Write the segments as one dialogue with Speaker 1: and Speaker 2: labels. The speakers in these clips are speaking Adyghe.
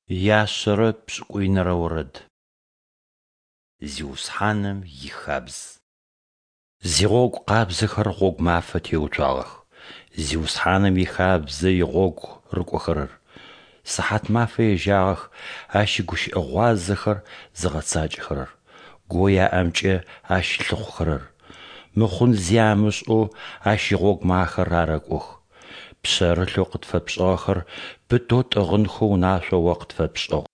Speaker 1: Яшъэрэ пшӏыкӏуинэрэ орэд. Зиусхьаным ихабз. Зигъогу къабзэхэр гъогу мафэ теуцуагъэх, Зиусхьаным ихабзэ игъогу рыкӏохэрэр. Сыхьатмафэ ежьагъэх Ащ игущыӏэ гъуазэхэр зыгъэцакӏэхэрэр, гоу яӏэмкӏэ Ащ лъыхъухэрэр. Мыхъун зи амышӏэу Ащ игъогумэ ахэр арэкӏох. Пшъэрылъэу къытфэпшӏыгъэхэр пытэу тӏыгъынхэу унашъо О къытфэпшӏыгъ.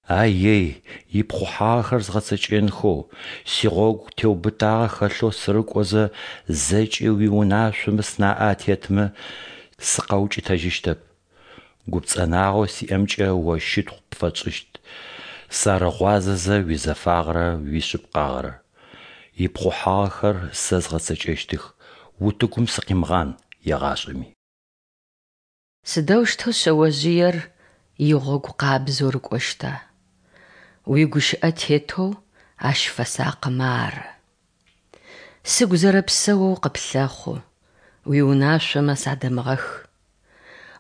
Speaker 1: А-ей, ипхъухьагъэхэр згъэцэкӏэнхэу, сигъогу теубытагъэ хэлъэу сырыкӏозэ, зэкӏэ уиунашъомэ сынаӏэ атетмэ, сыкъэукӏытэжьыщтэп. Гупцӏэнагъэу сиӏэмкӏэ О щытхъу пфэсшӏыщт, сарыгъуазэзэ уизэфагъэрэ уишъыпкъагъэрэ. Ипхъухьагъэхэр сэ згъэцэкӏэщтых, утыгум сыкъимыгъан егъашӏэми.
Speaker 2: Сыдэущтэу шъэожъыер игъогу къабзэу рыкӏощта? Уигущыӏэ тетэу ащ фэсакъымэ ары. Сыгу зэрэпсэоу къыплъэхъу, уиунашъомэ садэмыгъэх.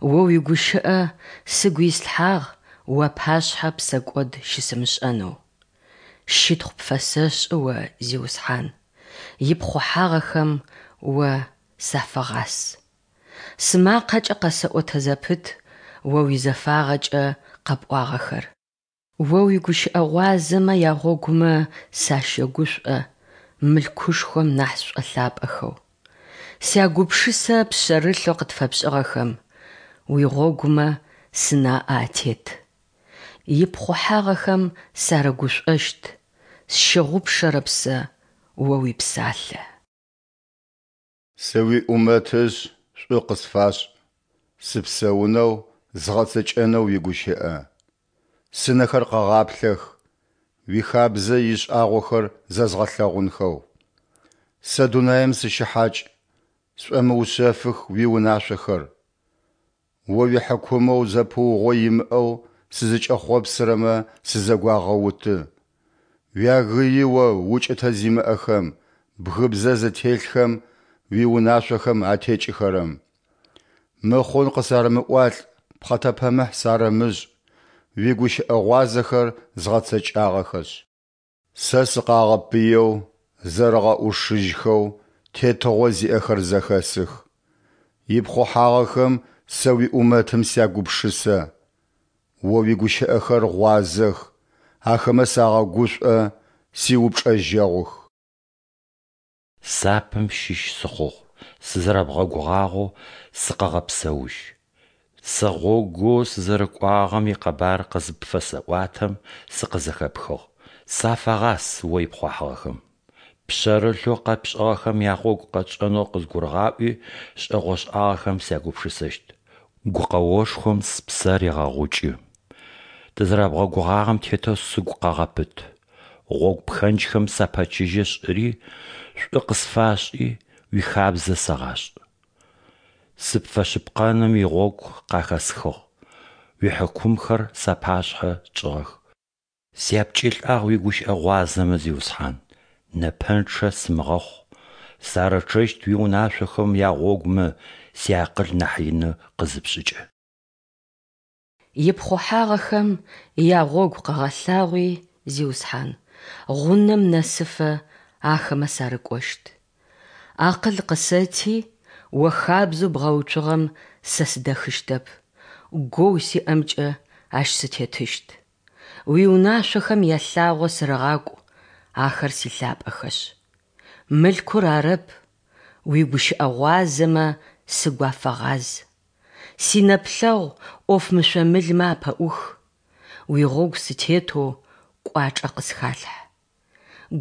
Speaker 2: О уигущыӏэ сыгу ислъхьагъ уапашъхьэ псэкӏод щысымышӏэнэу. Щытхъу пфэсэшӏы О, Зиусхьан, ипхъухьагъэхэм О сафэгъас. Сымакъэкӏэ къэсэӏотэ зэпыт О уизэфагъэкӏэ къэпӏуагъэхэр. О уигущыӏэ гъуазэмэ ягъогумэ сащэгушӏо мылъкушхом нахь сшӏолъапӏэхэу. Сягупшысэ пшъэрылъэу къытфэпшӏыгъэхэм, уигъогумэ сынаӏэ атет. Ипхъухьагъэхэм сарыгушӏощт, сщыгъупшэрэп сэ О уипсалъэ.
Speaker 3: Сыуиӏумэтышъ, шӏу къысфашӏ, сыпсэунэу, згъэцэкӏэнэу уигущыӏэ. Сынэхэр къэгъаплъэх, уихабзэ ишӏагъохэр зэзгъэлъэгъунхэу. Сэ дунаим сыщыхьакӏ, сшӏомыушъэфых уиунашъохэр. О уихьыкумэу зэпыугъо имыӏэу сызыкӏэхъопсырэмэ сызэгуагъэуты. Уягыи о укӏытэ зимыӏэхэм, бгыбзэ зытелъхэм, уиунашъохэм атекӏыхэрэм. Мыхъун къысарэмыӏуалӏ, пхъэтэпэмыхь сарэмышӏ, уигущыӏэ гъуазэхэр згъэцэкӏагъэхэшъ. Сэ сыкъагъэпыеу, зэрэгъэӏушыжьхэу тетыгъо зиӏэхэр зэхэсых. Ипхъухьагъэхэм сэ уиӏумэтым сягупшысэ. О уигущыӏэхэр гъуазэх, ахэмэ сагъэгушӏо, сиупчӏэжьэгъух.
Speaker 1: Сапэм щыщ сыхъугъ, сызэрэбгъэгугъагъэу сыкъэгъэпсэужь. Сэ гъогоу сызэрыкӏуагъэм икъэбар къызыпфэсэӏуатэм, сыкъызэхэпхыгъ, сафэгъас О ипхъухьагъэхэм. Пшъэрылъэу къэпшӏыгъэхэм ягъогу къэтшӏэнэу къызгурыгъаӏуи, шӏэгъошӏагъэхэм сягупшысэщт. Гукъэошхом спсэ регъэгъукӏы. Тызэрэбгъэгугъагъэм тетэу сыгу къэгъэпыт. Гъогу пхэнджхэм сапэчыжьэ шӏыри, шӏу къысфашӏи, уихабзэ сэгъашӏ. Сыпфэшъыпкъэным игъогу къахэсхыгъ, уихьыкумхэр сапашъхьэ чӏыгъэх. Сяпкӏылӏагъ уигущыӏэ гъуазэмэ, Зиусхьан, нэпэнчъэ сымыгъэхъу. Сарычъэщт уиунашъохэм ягъогумэ, сиакъыл нахь ины къызыпшӏыкӏэ.
Speaker 2: Ипхъухьагъэхэм ягъогу къэгъэлъагъуи, Зиусхьан, гъунэм нэсыфэ ахэмэ сарыкӏощт. Акъыл къысэти, О хабзэу бгъэуцугъэм сэ сыдэхыщтэп, гоу сиӏэмкӏэ ащ сытетыщт. Уиунашъохэм ялъагъо сырыгъакӏу, ахэр силъапӏэхэшъ. Мылъкур арэп, уигущыӏэ гъуазэмэ сыгу афэгъаз. Синэплъэгъу ӏоф мышъо-мылмэ апэӏух, уигъогу сытетэу кӏуачӏэ къысхалъхь.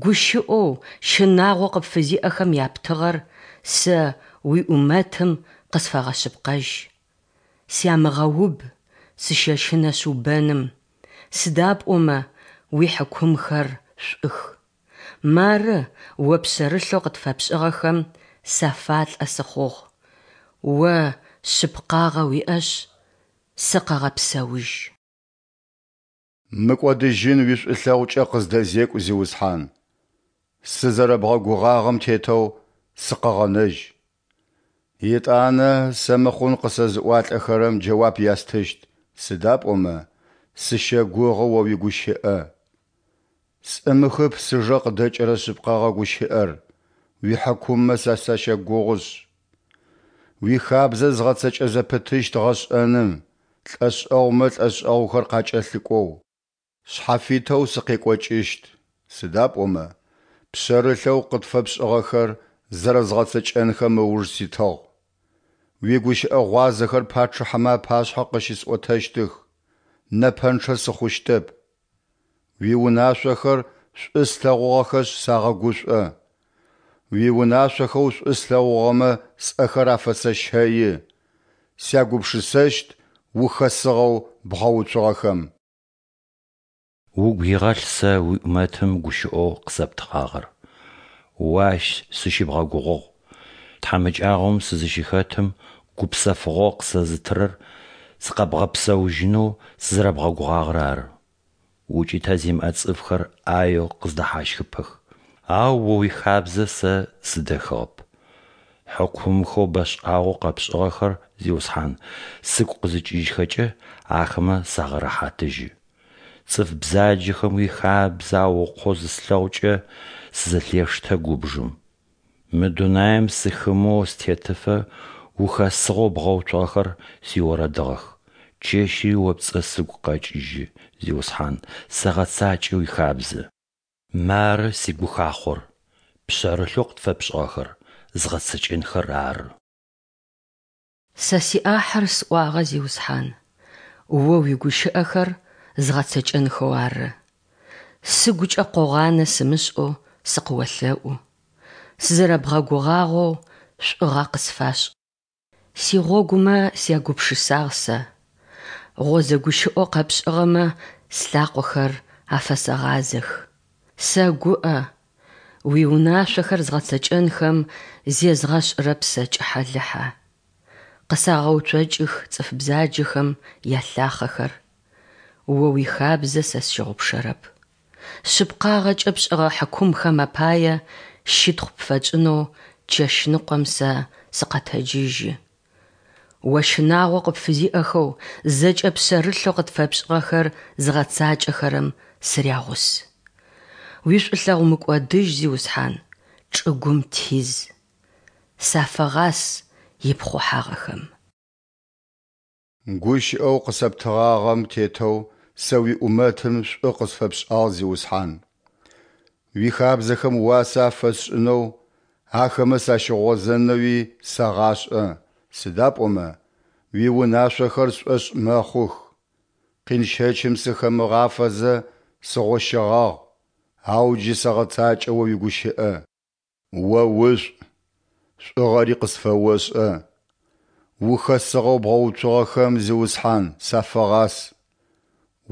Speaker 2: Гущыӏэу щынагъо къыпфызиӏэхэм яптыгъэр сэ уиӏумэтым къысфэгъэшъыпкъэжь. Сямыгъэуб, сыщэщынэшъ убэным, сыда пӏомэ уихьыкумхэр шӏух. Мары О пшъэрылъэу къытфэпшӏыгъэхэм сафалӏэ сыхъугъ, О шъыпкъагъэ уиӏэшъ, сыкъэгъэпсэужь.
Speaker 3: Мыкӏодыжьын уишӏулъэгъукӏэ къыздэзекӏу, Зиусхьан. Сызэрэбгъэгугъагъэм тетэу сыкъэгъэнэжь. Етӏанэ сэ мыхъун къысэзыӏуалӏэхэрэм джэуап ястыщт, сыда пӏомэ Сыщэгугъы О уигущыӏэ. Сӏымыхып сыжэ къыдэкӏырэ шъыпкъэгъэ гущыӏэр, уихьыкуммэ сэ сащэгугъышъ. Уихабзэ згъэцэкӏэ зэпытыщт гъэшӏэным, лӏэшӏэгъумэ лӏэшӏэгъухэр къакӏэлъыкӏоу. Шъхьафитэу сыкъекӏокӏыщт, сыда пӏомэ пшъэрылъэу къытфэпшӏыгъэхэр зэрэзгъэцэкӏэнхэм ыуж ситыгъ. Уигущыӏэ гъуазэхэр пачъыхьэмэ апашъхьэ къыщысӏотэщтых, нэпэнчъэ сыхъущтэп. Уиунашъохэр шӏу слъэгъугъэхэшъ сагъэгушӏо. Уиунашъохэу шӏу слъэгъугъэмэ сӏэхэр афэсэщэи, сягупшысэщт ухэсыгъэу бгъэуцугъэхэм.
Speaker 1: Угу игъэлъ сэ уиӏумэтым гущыӏэу къысэптыгъагъэр, О ащ сыщыбгъэгугъыгъ. Тхьамыкӏагъом сызыщыхэтым гупсэфыгъо къысэзытырэр сыкъэбгъэпсэужьынэу сызэрэбгъэгугъагъэр ары. Укӏытэ зимыӏэ цӏыфхэр ӏаеу къыздэхьащхыпэх, ау О уихабзэ сэ сыдэхыгъэп. Хьыкумхэу бэшӏагъэу къэпшӏыгъэхэр, Зиусхьан, сыгу къызыкӏыжьхэкӏэ, ахэмэ сагъэрэхьатыжьы. Цӏыф бзаджэхэм уихабзэ аукъоу зыслъэгъукӏэ, сызэлъештэ губжым. Мы дунаим сыхымэу сытетыфэ ухэсыгъэу бгъэуцугъэхэр сиорэдыгъэх. Чэщыри о пцӏэ сыгу къэкӏыжьы, Зиусхьан, сэгъэцакӏэ уихабзэ. Мары сигухахъор, пшъэрылъэу къытфэпшӏыгъэхэр згъэцэкӏэнхэр ары.
Speaker 2: Сэ сиӏахьыр сӏуагъэ, Зиусхьан, О уигущыӏэхэр згъэцэкӏэнхэу ары. Сыгукӏэ къогъанэ сымышӏэу сыкъыолъэӏу. Сызэрэбгъэгугъагъэу шӏугъэ къысфашӏ. Сигъогумэ сягупшысагъ сэ, гъозэ гущыӏэу къэпшӏыгъэмэ слъакъохэр афэсэгъазэх. Сэгуӏэ, уиунашъохэр згъэцэкӏэнхэм зезгъэшӏырэп сэ кӏыхьэ-лыхьэ. Къысагъэуцокӏых цӏыф бзаджэхэм ялъахъэхэр, О уихабзэ сэ сщыгъупшэрэп. Шъыпкъагъэкӏэ пшӏыгъэ хьыкумхэм апае щытхъу пфэтшӏынэу чэщныкъом сэ сыкъэтэджыжьы. О щынагъо къыпфызиӏэхэу зэкӏэ пшъэрылъэу къытфэпшӏыгъэхэр зыгъэцакӏэхэрэм сырягъус. Уишӏулъэгъу мыкӏодыжь, Зиусхьан, чӏыгум тиз. Сафэгъас ипхъухьагъэхэм.
Speaker 3: Гущыӏэу къысэптыгъагъэм тетэу сэ уиӏумэтым шӏу къысфэпшӏагъ, Зиусхьан. Уихабзэхэм уасэ афэсшӏынэу, ахэмэ сащыгъозэнэуи сэгъашӏэ, сыда пӏомэ уиунашъохэр сшӏошъ мэхъух. Къин щэчым сыхэмыгъафэзэ сыгъощэгъагъ, ау джы сэгъэцакӏэ О уигущыӏэ. О ушӏу, шӏугъэри къысфэошӏэ. Ухэсыгъэу бгъэуцугъэхэм, Зиусхьан, сафэгъас.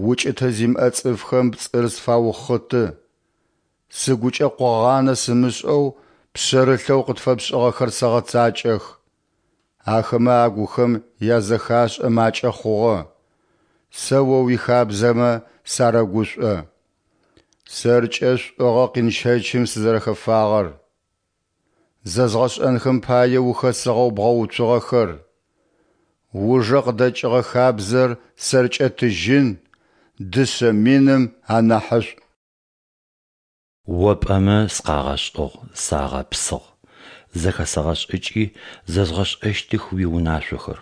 Speaker 3: Укӏытэ зимыӏэ цӏыфхэм пцӏыр сфаухъыты. Сыгукӏэ къогъанэ сымышӏэу пшъэрылъэу къытфэпшӏыгъэхэр сэгъэцакӏэх. Ахэмэ агухэм язэхашӏэ макӏэ хъугъэ. Сэ О уихабзэмэ сарэгушӏо. Сэркӏэ шӏугъэ къинщэчым сызэрэхэфагъэр. Зэзгъэшӏэнхэм пае ухэсыгъэу бгъэуцугъэхэр. Ужэ къыдэкӏыгъэ хабзэр сэркӏэ тыжьын, дышъэ миным анахьышӏу.
Speaker 1: О пӏэмэ сыкъагъэшӏыгъ, сагъэпсыгъ, зэхэсэгъэшӏыкӏи зэзгъэшӏэщтых уиунашъохэр.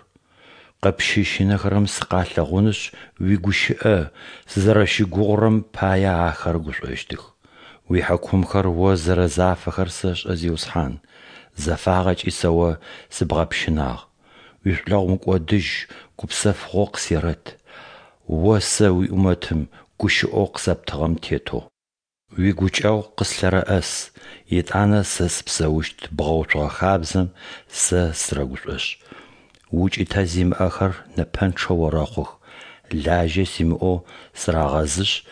Speaker 1: Къыпщыщынэхэрэм сыкъалъэгъунышъ, уигущыӏэ сызэрэщыгугъырэм пае ахэр гушӏощтых. Уихьыкумхэр О зэрэзафэхэр сэшӏэ, Зиусхьан, зэфагъэкӏи сэ О сыбгъэпщынагъ. Уишӏулъэгъу мыкӏодыжь гупсэфыгъо къысерэт, О сэ уиӏумэтым гущыӏэу къысэптыгъэм тетэу. Уигукӏэгъу къыслъэрэӏэс, етӏанэ сэ сыпсэущт бгъэуцугъэ хабзэм сэ сырэгушӏошъ. Укӏытэ зимыӏэхэр нэпэнчъэ орэхъух, лажьэ симыӏэу сырагъэзышъ,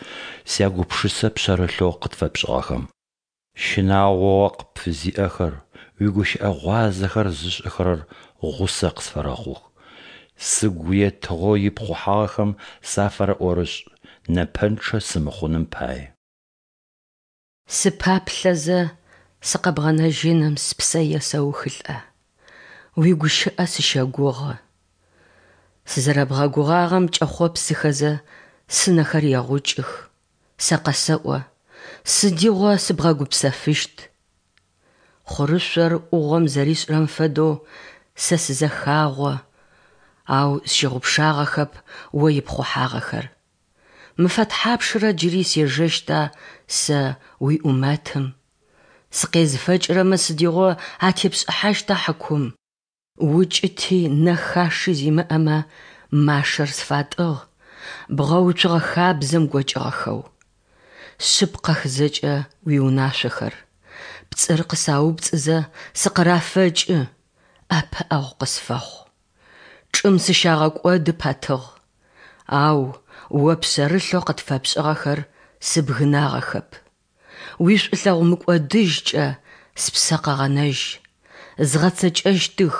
Speaker 1: сягупшысэ пшъэрылъэу къытфэпшӏыгъэхэм. Щынагъо О къыпфызиӏэхэр, уигущыӏэ гъуазэхэр зышӏэхэрэр гъусэ къысфэрэхъух. Сыгу етыгъэу ипхъухьагъэхэм сафэрэӏорышӏ, нэпэнчъэ сымыхъуным пае.
Speaker 2: Сыпаплъэзэ, сыкъэбгъэнэжьыным спсэ есэухылӏэ, уигущыӏэ сыщэгугъы. Сызэрэбгъэгугъагъэм кӏэхъопсыхэзэ, Сынэхэр егъукӏых, сэ къэсэӏо, Сыдигъо сыбгъэгупсэфыщт? Хъурышъор ӏугъом зэришӏырэм фэдэу сэ сызэхагъо, ау сщыгъупшагъэхэп О ипхъухьагъэхэр. Мэфэ тхьапшрэ джыри сежэщта сэ уиӏумэтым? Сыкъезыфэкӏырэмэ сыдигъо атепшӏыхьащта хьыкум? Укӏыти нэхаши зимыӏэмэ машэр сфатӏыгъ, бгъэуцугъэ хабзэм гокӏыгъэхэу. Шъыпкъэх зэкӏэ уиунашъохэр, пцӏыр къысаупцӏызэ сыкъырафэкӏы, ӏэпыӏэгъу къысфэхъу. Чӏым сыщагъэкӏоды пэтыгъ, ау О пшъэрылъэу къытфэпшӏыгъэхэр сыбгынагъэхэп. Уишӏулъэгъу мыкӏодыжькӏэ спсэ къэгъэнэжь, згъэцэкӏэщтых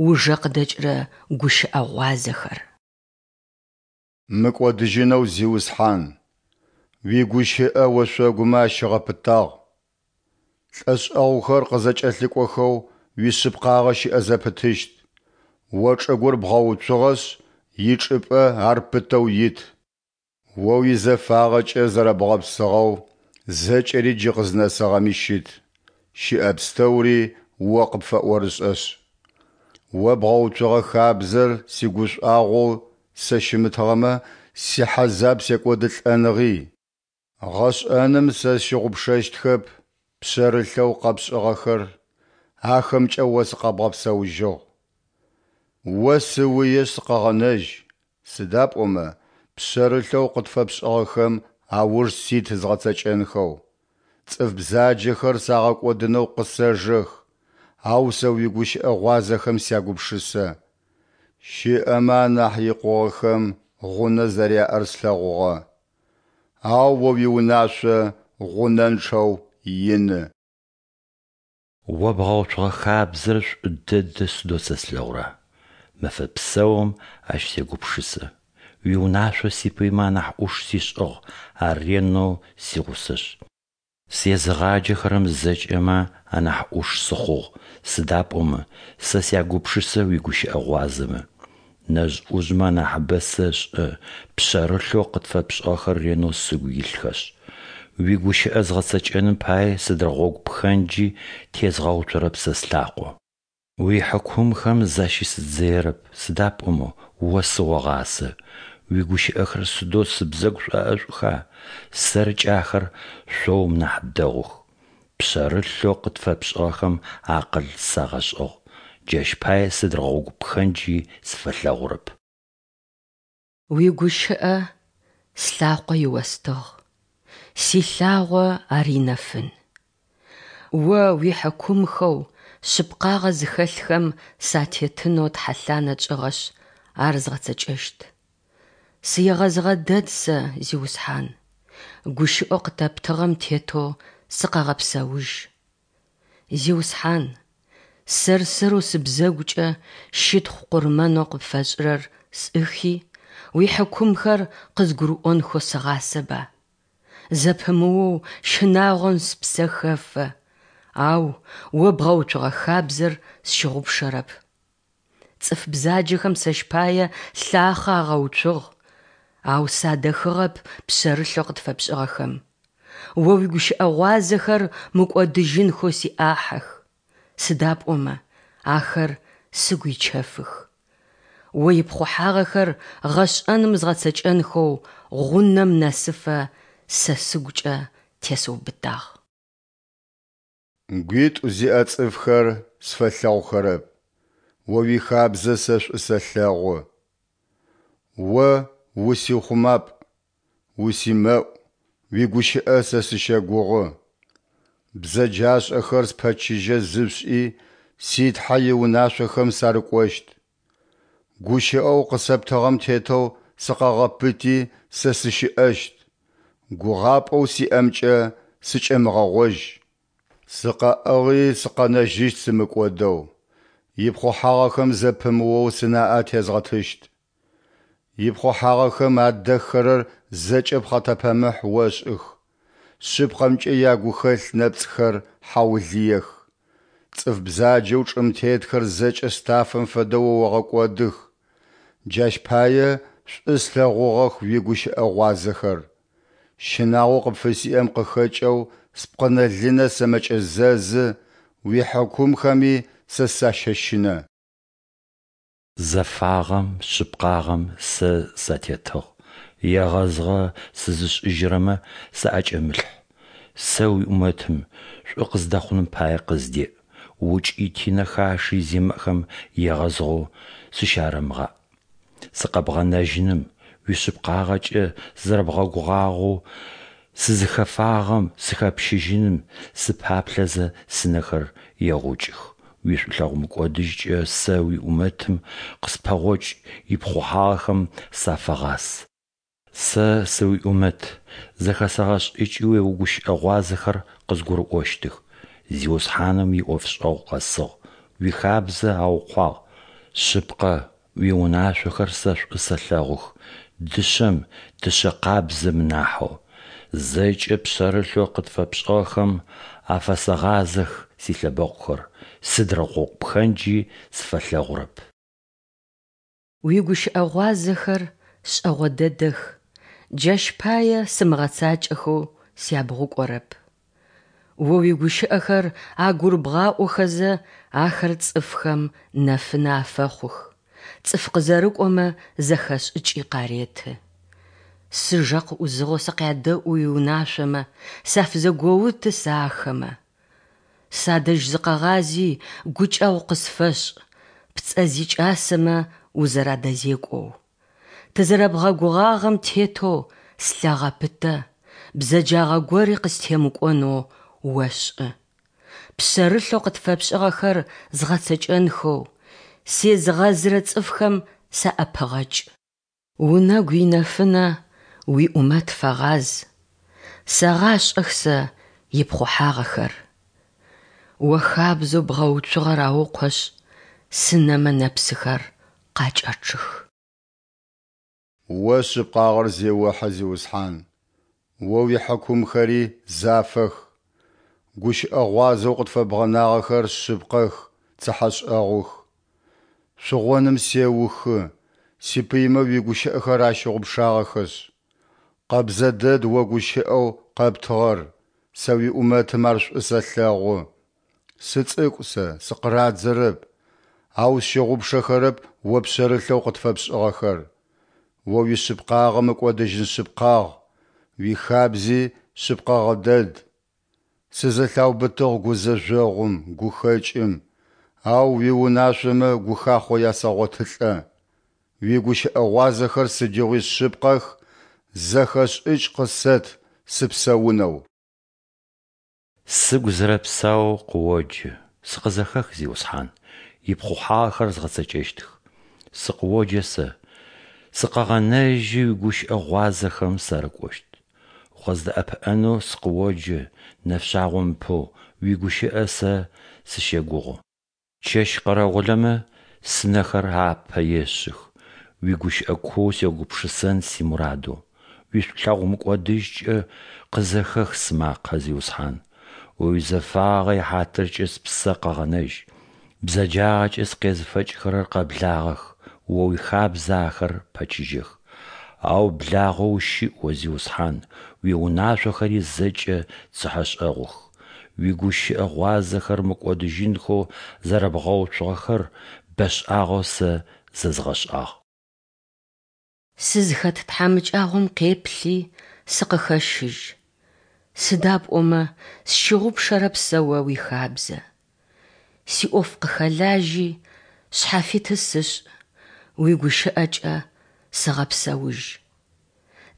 Speaker 2: ужэ къыдэкӏырэ гущыӏэ гъуазэхэр.
Speaker 3: Мыкӏодыжьынэу Зиусхьан, уигущыӏэ ошъогумэ ащыгъэпытагъ. Лӏэшӏэгъухэр къызэкӏэлъыкӏохэу уишъыпкъагъэ щыӏэ зэпытыщт, О чӏыгур бгъэуцугъэшъ, ичӏыпӏэ ар пытэу ит. О уизэфагъэкӏэ зэрэбгъэпсыгъэу зэкӏэри джы къызнэсыгъэми щыт, щыӏэ пстэури О къыпфэӏорышӏэшъ. О бгъэуцугъэ хабзэр сигушӏуагъоу сэ щымытыгъэмэ, сихьазаб секӏодылӏэныгъи. Гъэшӏэным сэ сщыгъупшэщтхэп пшъэрылъэу къэпшӏыгъэхэр, ахэмкӏэ О сыкъэбгъэпсэужьыгъ. О сыуиешъ сыкъэгъэнэжь, сыда пӏомэ пшъэрылъэу къытфэпшӏыгъэхэм ауж сит згъэцэкӏэнхэу. Цӏыф бзаджэхэр сагъэкӏодынэу къысэжэх, ау сэ уигущыӏэ гъуазэхэм сягупшысэ. Щыӏэмэ анахь икъугъэхэм гъунэ зэряӏэр слъэгъугъэ, ау О уиунашъо гъунэнчъэу ины.
Speaker 1: О бгъэуцугъэ хабзэр шӏу дэдэ сыдэу сэ слъэгъура! Мэфэ псэум ащ сегупшысэ. Уиунашъо сипыймэ анахь ӏуш сишӏыгъ, ар ренэу сигъусэшъ. Сезыгъаджэхэрэм зэкӏэмэ анахь ӏуш сыхъугъ, сыда пӏомэ сэ сягупшысэ уигущыӏэ гъуазэмэ. Нэжъ-ӏужъмэ анахьыбэ сэшӏэ, пшъэрылъэу къытфэпшӏыгъэхэр ренэу сыгу илъхэшъ. Уигущыӏэ згъэцэкӏэным пае сыдрэ гъогу пхэнджи тезгъэуцорэп сэ слъакъо. Уихьыкумхэм защысыдзыерэп, сыда пӏомэ О сыогъасэ. Уигущыӏэхэр сыдэу сыбзэгу шӏоӏэшӏуха, сэркӏэ ахэр шъоум нахь дэгъух. Пшъэрылъэу къытфэпшӏыгъэхэм акъыл сагъэшӏыгъ, джащ пае сыдрэ гъогу пхэнджи сфэлъэгъурэп.
Speaker 2: Уигущыӏэ слъакъо иостыгъ, силъагъо ар инэфын. О уихьыкумхэу шъыпкъагъэ зыхэлъхэм сатетынэу тхьэлъанэ тшӏыгъэшъ, ар згъэцэкӏэщт. Сыегъэзыгъэ дэд сэ, Зиусхьан, гущыӏэу къытэптыгъэм тетэу сыкъэгъэпсэужь. Зиусхьан, сэр-сэрэу сыбзэгукӏэ щытхъу къурмэнэу къыпфэсшӏырэр сӏыхи, уихьыкумхэр къызгурыӏонхэу сыгъасэба. Зэпымыоу щынагъом спсэ хэфэ, ау О бгъэуцугъэ хабзэр сщыгъупшэрэп. Цӏыф бзаджэхэм сэщ пае лъахъэ агъэуцугъ, ау садэхыгъэп пшъэрылъэу къытфэпшӏыгъэхэм. О уигущыӏэ гъуазэхэр мыкӏодыжьынхэу сиӏахьых, сыда пӏомэ ахэр сыгу ичэфых. О ипхъухьагъэхэр гъэшӏэным згъэцэкӏэнхэу гъунэм нэсыфэ сэ сыгукӏэ тесыубытагъ.
Speaker 3: Гуитӏу зиӏэ цӏыфхэр сфэлъэгъухэрэп, О уихабзэ сэ шӏу сэлъэгъу. О усиухъумапӏ, усимэӏу, уигущыӏэ сэ сыщэгугъы. Бзэджашӏэхэр спэчыжьэ зышъушӏи, си Тхьэ иунашъохэм сарыкӏощт. Гущыӏэу къысэптыгъэм тетэу сыкъэгъэпыти, сэ сыщыӏэщт, гугъапӏэу сиӏэмкӏэ сыкӏэмыгъэгъожь. Сыкъэӏыгъи сыкъэнэжьыщт сымыкӏодэу, ипхъухьагъэхэм зэпымыоу сынаӏэ тезгъэтыщт. Ипхъухьагъэхэм адэххэрэр зэкӏэ пхъэтэпэмыхь ошӏых, шъыпкъэмкӏэ ягухэлъ нэпцӏхэр хьаулыех. Цӏыф бзаджэу чӏым тетхэр зэкӏэ стафэм фэдэу о огъэкӏодых, джащ пае Шӏу слъэгъугъэх уигущыӏэ гъуазэхэр. Щынагъоу къыпфысиӏэм къыхэкӏэу спкъынэ-лынэ сэмэкӏэзэзы, уихьыкумхэми сэ сащэщынэ.
Speaker 1: Зэфагъэм, шъыпкъагъэм сэ сатетыгъ, егъэзыгъэ сызышӏыжьырэмэ саӏэкӏэмылъхь. Сэ уиӏумэтым, шӏу къыздэхъуным пае къыздеӏ, укӏити нэхаши зимыӏэхэм егъэзыгъэу сыщарэмыгъаӏ. Сыкъэбгъэнэжьыным, уишъыпкъагъэкӏэ сызэрэбгъэгугъагъэу сызыхэфагъэм сыхэпщыжьыным сыпаплъэзэ сынэхэр егъукӏых. Уишӏулъэгъу мыкӏодыжькӏэ сэ уиӏумэтым къыспэгъокӏ, ипхъухьагъэхэм сафэгъас. Сэ сыуиӏумэт, зэхэсэгъэшӏыкӏи уигущыӏэ гъуазэхэр къызгурыӏощтых. Зиусхьаным иӏофшӏэгъу къэсыгъ, уихабзэ аукъуагъ. Шъыпкъэ, уиунашъохэр сэ шӏу сэлъэгъух, дышъэм, дышъэ къабзэм нахьэу. Зэкӏэ пшъэрылъэу къытфэпшӏыгъэхэм афэсэгъазэх силъэбэкъухэр, сыдрэ гъогу пхэнджи сфэлъэгъурэп.
Speaker 2: Уигущыӏэ гъуазэхэр шӏэгъо дэдэх, джащ пае сымыгъэцакӏэхэу сябгъукӏорэп. О уигущыӏэхэр агурыбгъаӏохэзэ, ахэр цӏыфхэм нэфынэ афэхъух, цӏыф къызэрыкӏомэ зэхэшӏыкӏи къареты. Сыжэ къыӏузыгъэу сыкъядэӏу уиунашъомэ, сафызэгоуты сэ ахэмэ. Садэжь зыкъэгъази, гукӏэгъу къысфэшӏ, пцӏэ зикӏасэмэ узэрадэзекӏоу. Тызэрэбгъэгугъагъэм тетэу слъэ гъэпытэ, бзэджагъэ гори къыстемыкӏонэу ошӏы. Пшъэрылъэу къытфэпшӏыгъэхэр згъэцэкӏэнхэу, сезыгъэзырэ цӏыфхэм саӏэпыгъэкӏ. Унэгу инэфынэ уиӏумэт фэгъаз, сэгъашӏэх сэ ипхъухьагъэхэр. О хабзэу бгъэуцугъэр аукъошъ, сынэмэ нэпсыхэр къакӏэчъых.
Speaker 3: О шъыпкъагъэр зеохьэ, Зиусхьан, О уихьыкумхэри зафэх. Гущыӏэ гъуазэу къытфэбгъэнагъэхэр шъыпкъэх, цыхьэшӏэгъух. Шъугъоным сеухы, сипыймэ уигущыӏэхэр ащыгъупшагъэхэшъ. Къэбзэ дэд О гущыӏэу къэптыгъэр, сэ уиӏумэтым ар шӏу сэлъэгъу. Сыцӏыкӏу сэ, сыкъырадзэрэп, ау сщыгъупшэхэрэп О пшъэрылъэу къытфэпшӏыгъэхэр. О уишъыпкъагъэ мыкӏодыжьын шъыпкъагъ, уихабзи шъыпкъэгъэ дэд. Сызэлъаубытыгъ гузэжъогъум, гухэкӏым, ау уиунашъомэ гухахъо ясэгъотылӏэ. Уигущыӏэ гъуазэхэр сыдигъуи шъыпкъэх, зэхэшӏыкӏ къысэт сыпсэунэу.
Speaker 1: Сыгу зэрэпсаоу къыоджэ, сыкъызэхэх, Зиусхьан, ипхъухьагъэхэр згъэцэкӏэщтых. Сыкъыоджэ сэ, сыкъэгъэнэжьи, уигущыӏэ гъуазэхэм сарыкӏощт. Укъыздэӏэпыӏэнэу сыкъыоджэ, нэфшъагъом ыпэу, уигущыӏэ сэ сыщэгугъы. Чэщ къэрэгъулэмэ сынэхэр апэ ешъых, уигущыӏэ куоу сегупшысэн симурадэу. Уишӏулъэгъу мыкӏодыжькӏэ къызэхэх сымакъэ, Зиусхьан. О уизэфагъэ ихьатыркӏэ спсэ къэгъэнэжь. Бзэджагъэкӏэ сыкъезыфэкӏхэрэр къэблагъэх, О уихабзэ ахэр пэчыжьэх. Ау благъэу ущыӏ О, Зиусхьан, уиунашъохэри зэкӏэ цыхьэшӏэгъух. Уигущыӏэ гъуазэхэр мыкӏодыжьынхэу зэрэбгъэуцугъэхэр бэшӏагъэу сэ зэзгъэшӏагъ.
Speaker 2: Сызхэт тхьамыкӏагъом къеплъи, сыкъыхэщыжь, сыда пӏомэ сщыгъупшэрэп сэ О уихабзэ. Сиӏоф къыхэлажьи, шъхьафиты сышӏ, уигущыӏэкӏэ сыгъэпсэужь.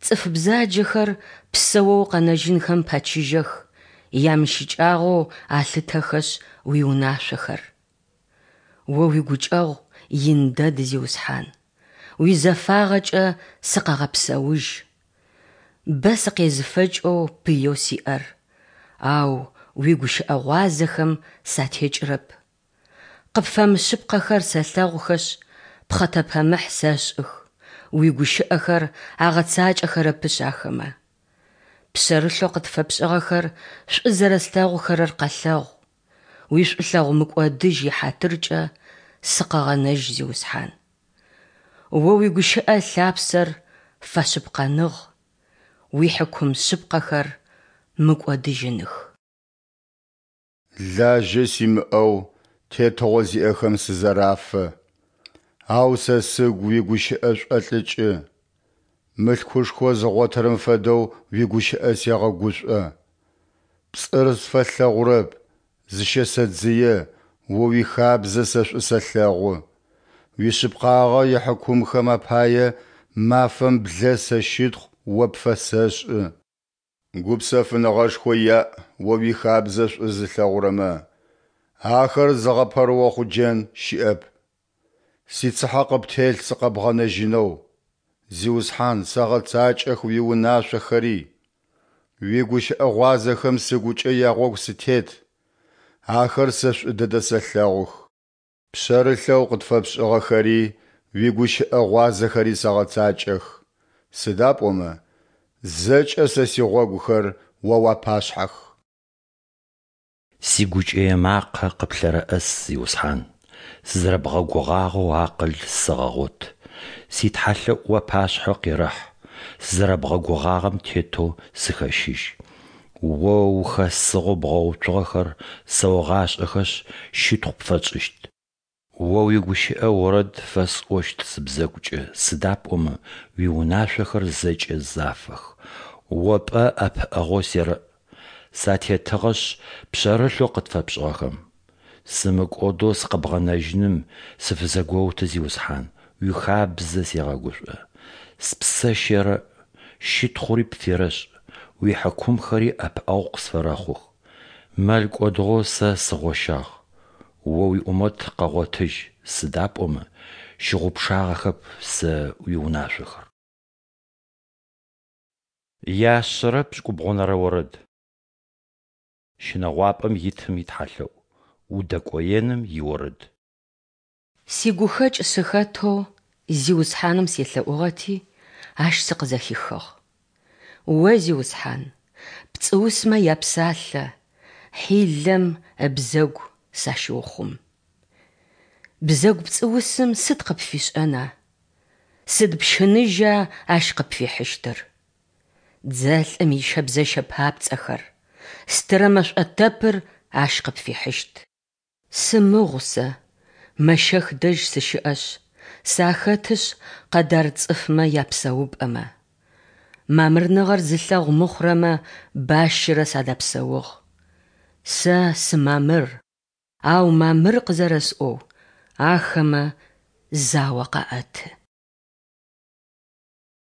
Speaker 2: Цӏыф бзаджэхэр псэоу къэнэжьынхэм пэчыжьэх, ямыщыкӏагъэу алъытэхэшъ уиунашъохэр. О уигукӏэгъу ин дэд, Зиусхьан, уизэфагъэкӏэ сыкъэгъэпсэужь. Бэ сыкъезыфэкӏэу пыеу сиӏэр, ау уигущыӏэ гъуазэхэм сатекӏырэп. Къыпфэмышъыпкъэхэр сэлъэгъухэшъ, пхъэтэпэмыхь сэшӏых, уигущыӏэхэр агъэцакӏэхэрэпышъ ахэмэ. Пшъэрылъэу къытфэпшӏыгъэхэр шӏу зэрэслъэгъухэрэр къэлъэгъу, уишӏулъэгъу мыкӏодыжь ихьатыркӏэ сыкъэгъэнэжь, Зиусхьан. О уигущыӏэ ылъапсэр фэшъыпкъэныгъ, уихьыкум шъыпкъэхэр мыкӏодыжьыных.
Speaker 3: Лажьэ симыӏэу тетыгъо зиӏэхэм сызэрафэ, ау сэ сыгу уигущыӏэ шӏолӏыкӏы. Мылъкушхо зыгъотырэм фэдэу уигущыӏэ сегъэгушӏо. Пцӏыр сфэлъэгъурэп, зыщэсэдзые, О уихабзэ сэ шӏу сэлъэгъу. Уишъыпкъагъэ ихьыкумхэм апае мафэм блэ сэ щытхъу О пфэсэшӏы. Гупсэфыныгъэшхо яӏ О уихабзэ шӏу зылъэгъурэмэ, ахэр зыгъэпэрыохъуджэн щыӏэп. Сицыхьэ къыптелъ сыкъэбгъэнэжьынэу, Зиусхьан, сэгъэцакӏэх уиунашъохэри. Уигущыӏэ гъуазэхэм сыгукӏэ ягъогу сытет, ахэр сэ шӏу дэдэ сэлъэгъух. Пшъэрылъэу къытфэпшӏыгъэхэри уигущыӏэ гъуазэхэри сэгъэцакӏэх, сыда пӏомэ зэкӏэ сэ сигъогухэр О уапашъхьэх.
Speaker 1: Сигукӏэе макъэ къыплъэрэӏэс, Зиусхьан, сызэрэбгъэгугъагъэу акъыл сэгъэгъот. Ситхьалъэӏу уапашъхьэ къерэхь, сызэрэбгъэгугъагъэм тетэу сыхэщыжь. О ухэсыгъэу бгъэуцугъэхэр сэогъашӏэхэшъ, щытхъу пфэтшӏыщт. О уигущыӏэ орэд фэсӏощт сыбзэгукӏэ, сыда пӏомэ уиунашъохэр зэкӏэ зафэх. О пӏэ ӏэпыӏэгъоу серэӏ, сатетыгъэшъ пшъэрылъэу къытфэпшӏыгъэхэм. Сымыкӏодэу сыкъэбгъэнэжьыным сыфызэгоуты, Зиусхьан, уихабзэ сегъэгушӏо. Спсэ щерэӏ, щытхъури пферэшӏ, уихьыкумхэри ӏэпыӏэгъу къысфэрэхъух. Мэл кӏодыгъэу сэ сыгъощагъ, О уиӏумэт къэгъотыжь, сыда пӏомэ щыгъупшагъэхэп сэ уиунашъохэр. Яшъэрэ пшӏыкӏубгъунэрэ орэд. Щынэгъуапӏэм итым итхьалъэӏу, удэкӏоеным иорэд.
Speaker 2: Сигухэкӏ сыхэтэу Зиусхьаным селъэӏугъэти, Ащ сыкъызэхихыгъ. О, Зиусхьан, пцӏыусмэ япсалъэ, хьилэм ыбзэгу сащыухъум. Бзэгу пцӏыусым сыд къыпфишӏэна? Сыд пщыныжьа ащ къыпфихьыщтыр? Дзэлӏым ищэбзэщэ папцӏэхэр, стырэ мэшӏотэпыр ащ къыпфихьыщт. Сымыгъу сэ, Мэщэх дэжь сыщыӏэшъ, сахэтышъ Къэдар цӏыфмэ япсэупӏэмэ. Мамырныгъэр зылъэгъу мыхъурэмэ бащэрэ садэпсэугъ. Сэ сымамыр, ау мамыр къызэрэсӏоу, ахэмэ зао къаӏэты.